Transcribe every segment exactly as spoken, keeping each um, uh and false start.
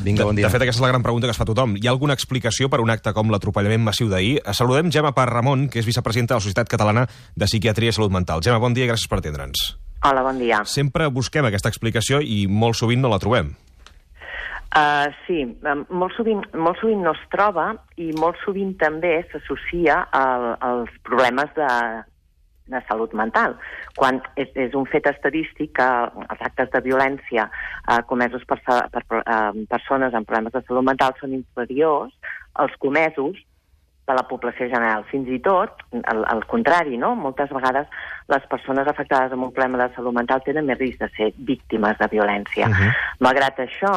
Vinga, bon dia. De fet, aquesta és la gran pregunta que es fa tothom. Hi ha alguna explicació per un acte com l'atropellament massiu d'ahir? Saludem Gemma Parramon, que és vicepresidenta de la Societat Catalana de Psiquiatria i Salut Mental. Gemma, bon dia i gràcies per atendre'ns. Hola, bon dia. Sempre busquem aquesta explicació i molt sovint no la trobem. Uh, sí, molt sovint, molt sovint no es troba i molt sovint també s'associa al, als problemes de, de salut mental. Quan és, és un fet estadístic que els actes de violència uh, comesos per, per uh, persones amb problemes de salut mental són inferiors als comesos de la població general. Fins i tot, al, al contrari, no? Moltes vegades les persones afectades amb un problema de salut mental tenen més risc de ser víctimes de violència. Uh-huh. Malgrat això,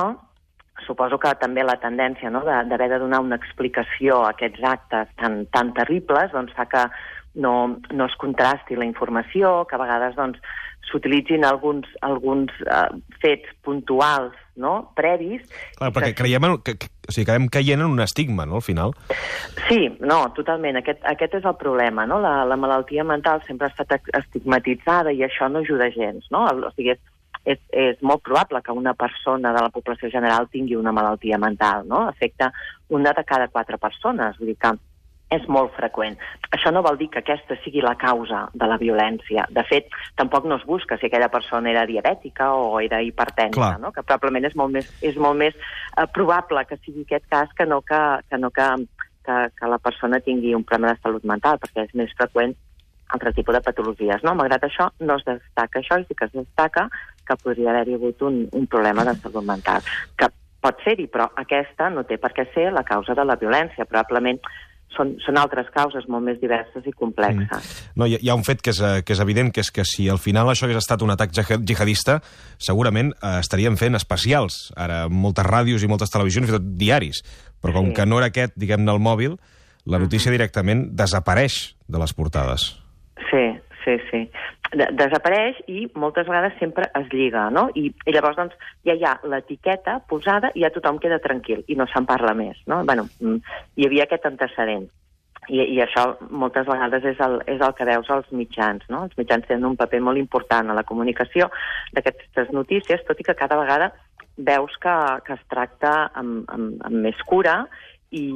suposo que també la tendència, no?, d'haver de donar una explicació a aquests actes tan, tan terribles doncs fa que no, no es contrasti la informació, que a vegades doncs, s'utilitzin alguns, alguns uh, fets puntuals, no?, previs. Clar, perquè que... creiem en, que, que, o sigui, acabem caient en un estigma, no?, al final. Sí, no, totalment. Aquest, aquest és el problema, no? La, la malaltia mental sempre ha estat estigmatitzada i això no ajuda gens, no? O sigui, és, és molt probable que una persona de la població general tingui una malaltia mental, no? Afecta una de cada quatre persones, vull dir que és molt freqüent. Això no vol dir que aquesta sigui la causa de la violència. De fet, tampoc no es busca si aquella persona era diabètica o era hipertensa, no? Que probablement és molt més, és molt més eh, probable que sigui aquest cas que no que, que, no que, que, que la persona tingui un problema de salut mental, perquè és més freqüent altre tipus de patologies, no? Malgrat això, no es destaca això i sí que es destaca que podria haver-hi hagut un, un problema de salut mental. Que pot ser-hi, però aquesta no té per què ser la causa de la violència. Probablement són, són altres causes molt més diverses i complexes. Mm. No, hi, hi ha un fet que és, que és evident, que és que si al final això hagués estat un atac jihadista, segurament eh, estaríem fent especials, ara moltes ràdios i moltes televisions, fins i tot diaris. Però com sí. que no era aquest, diguem-ne, el mòbil, la notícia uh-huh. directament desapareix de les portades. Sí, sí, sí. De desapareix i moltes vegades sempre es lliga, no? I, i llavors, doncs, ja hi ha l'etiqueta posada i ja tothom queda tranquil i no se'n parla més, no? Bueno, hi havia aquest antecedent. I, i això moltes vegades és el, és el que veus als mitjans, no? Els mitjans tenen un paper molt important a la comunicació d'aquestes notícies, tot i que cada vegada veus que, que es tracta amb, amb, amb més cura i,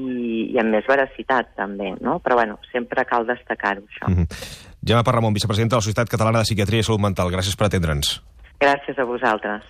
i amb més veracitat, també, no? Però, bueno, sempre cal destacar-ho, això. Mm-hmm. Gemma Parramon, vicepresidenta de la Societat Catalana de Psiquiatria i Salut Mental. Gràcies per atendre'ns. Gràcies a vosaltres.